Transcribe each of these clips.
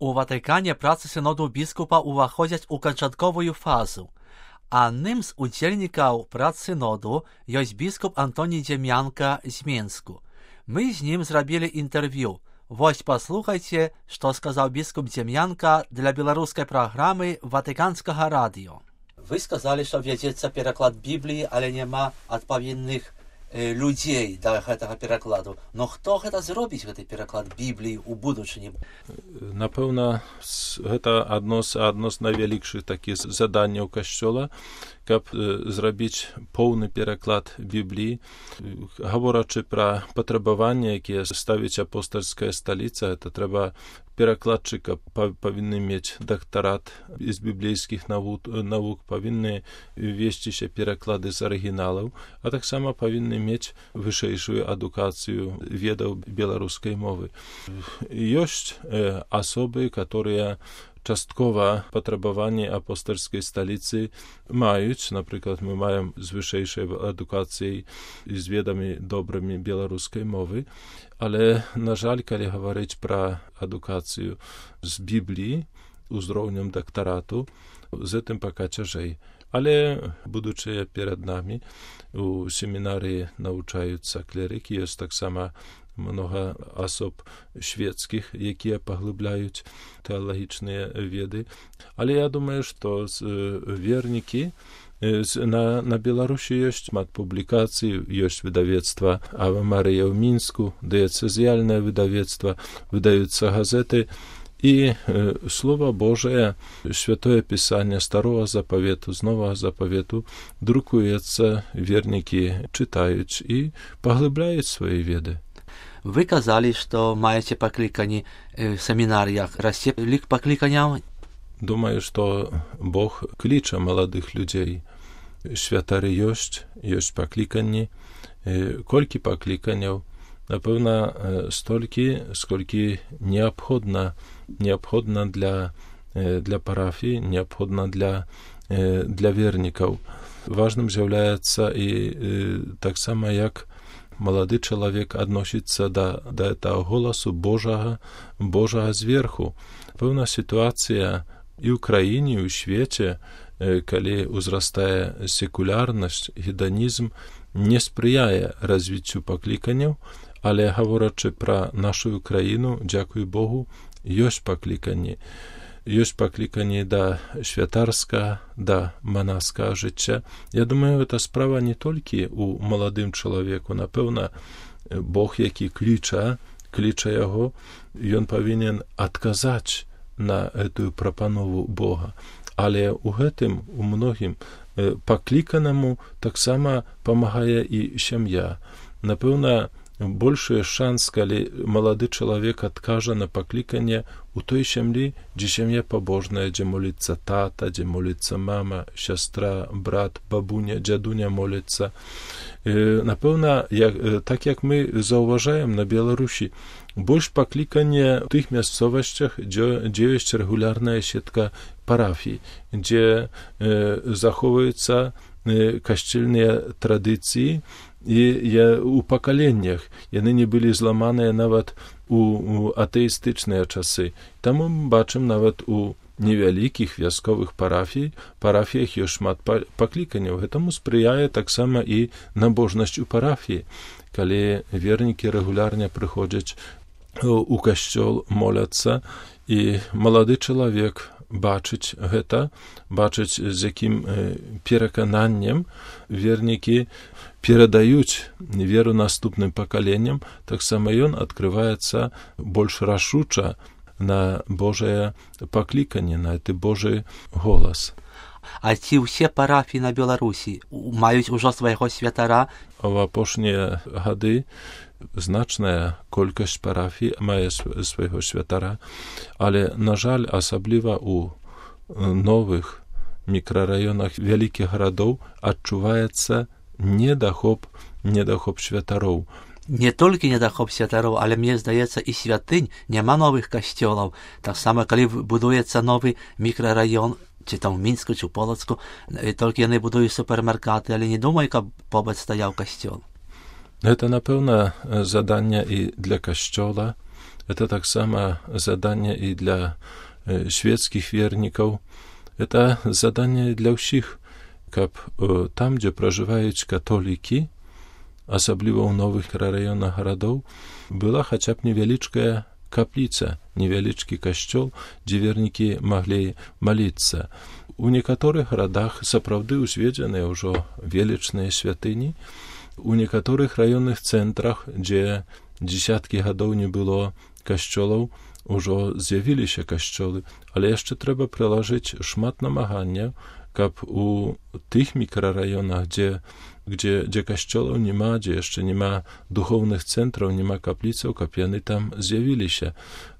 У Ватыкане працы сыноду біскупа ўваходзяць у канчатковую фазу. Адным з удзельнікаў прац сыноду ёсць біскуп Антоній Дзем'янка з Менску. Мы з ім зрабілі інтэрв'ю. Вось паслухайце, што сказаў біскуп Дзем'янка для беларускай праграмы Ватыканскага радыё. Вы сказалі, што вядзецца пераклад Бібліі, але няма адпаведных людзей да гэтага перакладу. Но хто гэта зробіць, гэты пераклад Бібліі ў будучыні? Напэўна, гэта адно з найвялікшых такіх заданняў касцёла, каб зрабіць поўны пераклад Бібліі. Гаворачы пра патрабаванні, якія ставіць апостальская сталіца, это трэба перакладчыка павінны мець дактарат з біблейскіх навук, павінны весціся пераклады з арыгіналаў, а таксама павінны мець вышэйшую адукацыю ведаў беларускай мовы. Ёсць асобы, которые часткова патрабаванні апостальскай сталіцы маюць. Напрыклад, мы маем з вышэйшай адукацыяй і з ведамі добрымі беларускай мовы, але, на жаль, калі гаварыць пра адукацыю з Бібліі узроўнем дактарату, з гэтым пака цяжэй. Але, будучыя перад намі, у семінарыі навучаюцца клерыкі, ёсць таксама многа асоб шведскіх, якія паглыбляюць тэалагічныя веды. Але я думаю, што вернікі на Беларусі ёсць шмат публікацый, ёсць выдавецтва Ава Марыя ў Мінску, дыяцэзіяльнае выдавецтва, выдаюцца газеты, і Слова Божае, Святое Пісанне Старого Запавету, з Новага Запавету друкуецца, вернікі чытаюць і паглыбляюць свае веды. Вы казалі, што маеце паклікані в семінарыях. Расце лік пакліканяў? Думаю, што Бог кліча маладых людзей. Святары ёсць пакліканні. Колькі пакліканяў? Напэўна, столькі, сколькі неабходна для парафіі, неабходна для вернікаў. Важным з'яўляецца і таксама, як малады чалавек адносіцца да гэтага голасу Божага зверху. Пэўна сітуацыя і ў краіне, і ў свеце, калі ўзрастае секулярнасць, гедонізм, не спрыяе развіццю пакліканняў, але, гаворачы пра нашу краіну, дзякуй Богу, ёсць пакліканні. Ёсць пакліканні да святарскага, да манаскага жыцця. Я думаю, гэта справа не толькі ў маладым чалавеку. Напэўна, Бог, які кліча яго, ён павінен адказаць на гэтую прапанову Бога. Але ў гэтым, у многім пакліканаму таксама памагае і сям'я. Напэўна, большы шанс, калі малады чалавек адкажа на пакліканне у той сям'і, дзе сям'я пабожная, дзе моліцца тата, дзе моліцца мама, сястра, брат, бабуня, дзядуня моліцца. Напэўна, так як мы заўважаем на Беларусі, больш пакліканне ў тых мясцовасцях, дзе ёсць рэгулярная сетка парафій, дзе захоўваюцца касцельныя традыцыі, і у пакаленнях яны не былі зламаныя нават у атэістычныя часы. Таму мы бачым нават у невялікіх вясковых парафіях ёсць шмат пакліканняў. Гэтаму спрыяе таксама і набожнасць у парафіі. Калі вернікі рэгулярна прыходзяць у касцёл, моляцца, і малады чалавек бачыць гэта, бачыць, з якім перакананнем вернікі перадаюць веру наступным пакаленням, таксама ён адкрываецца больш рашуча на Божае пакліканне, на гэты Божы голас. А ці ўсе парафіі на Беларусі маюць ужо свайго святара? У апошнія гады значная колькасць парафій мае свайго святара, але, на жаль, асабліва у новых мікрараёнах вялікіх гарадоў адчуваецца недахоп святароў. Не толькі недахоп святароў, але, мне здаецца, і святынь, няма новых касцёлаў. Так сама, калі будуецца новы мікрараён, ці там у Мінску, ці ў Полацку, толькі яны будуюць супермаркаты, але не думаю, каб побач стаяў касцёл. Гэта, напэўна, заданне і для касцёла, Это так само задание и для шведских верников. Это задание для всех, как там, где проживают католики, особливо в новых районах городов, была хотя бы невеличкая каплица, невеличкий костел, где верники могли молиться. У некоторых городах сапраўды узведзеныя ўжо велічныя святыні, у некаторых раённых цэнтрах, дзе дзесяткі гадоў не было касцёлаў, ужо з'явіліся касцёлы, але яшчэ трэба прылажыць шмат намагання, каб у тых мікрараёнах, дзе касцёлаў няма, дзе яшчэ няма духоўных цэнтраў, няма капліцаў, каб яны там з'явіліся.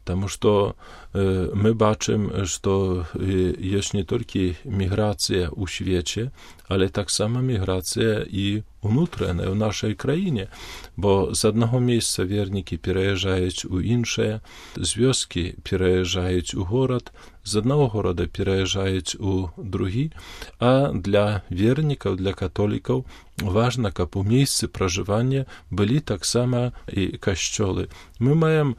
Таму што мы бачым, што ёсць не толькі міграцыя ў свеце, але таксама міграцыя і унутраная ў нашай краіне, бо з аднаго месца вернікі пераязджаюць у іншае, з вёскі пераязджаюць у горад, з аднаго горада пераязджаюць у другі, а для вернікаў, для католікаў важна, каб у месцы пражывання былі таксама і касцёлы. Мы маем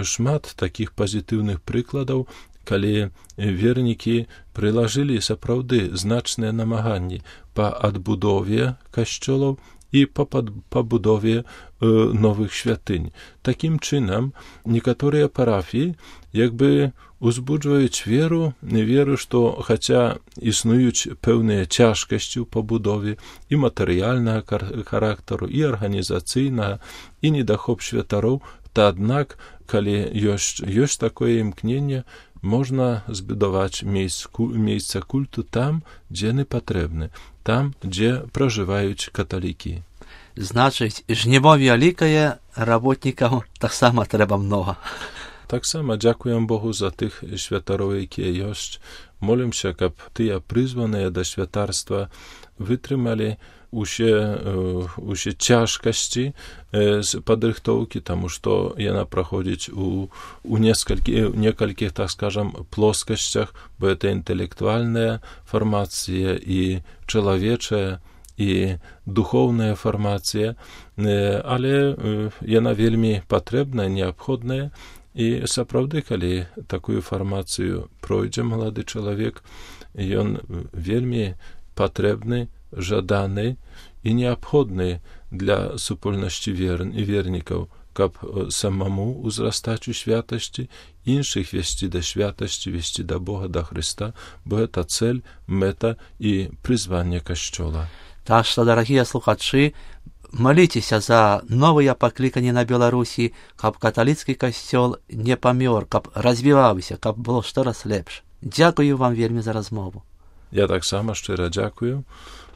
шмат такіх пазітыўных прыкладаў, калі вернікі прылажылі сапраўды значныя намаганні па адбудове касцёлаў і па пабудове новых святынь. Такім чынам, некаторыя парафіі як бы узбуджваюць веру, што хаця існуюць пэўныя цяжкасці ў пабудове і матэрыяльнага характару, і арганізацыйнага, і недахоп святароў, то аднак, калі ёсць такое імкненне, можна збудаваць месца культу там, дзе яны патрэбны, там, дзе пражываюць каталікі. Значыць, жніво вялікае, работнікаў таксама трэба многа. Таксама дзякуем Богу за тых святароў, якія ёсць. Молімся, каб тыя прызваныя да святарства вытрымалі усе цяжкасці з падрыхтоўкі, таму што яна праходзіць у некалькіх, так скажам, плоскасцях, бо это інтэлектуальная фармацыя і чалавечая, і духоўная фармацыя, але яна вельмі патрэбная, неабходная. І сапраўды, калі такую фармацыю пройдзе малады чалавек, ён вельмі патрэбны, жаданы і неабходны для супольнасці вернікаў, каб самому ўзрастаць у святасці, іншых весці да святасці, весці да Бога, да Христа, бо гэта цель, мэта і прызванне касцёла. Так што, дарагія слухачы, маліцеся за новыя пакліканні на Беларусі, каб каталіцкі касцёл не памёр, каб развіваўся, каб было штораз лепш. Дзякую вам вельмі за размову. Я таксама шчыра дзякую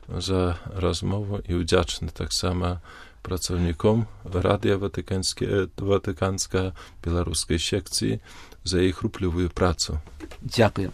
за размову і ўдзячны таксама працаўніком радыё Ватыканска беларускай секцыі за іх руплівую працу. Дзякую.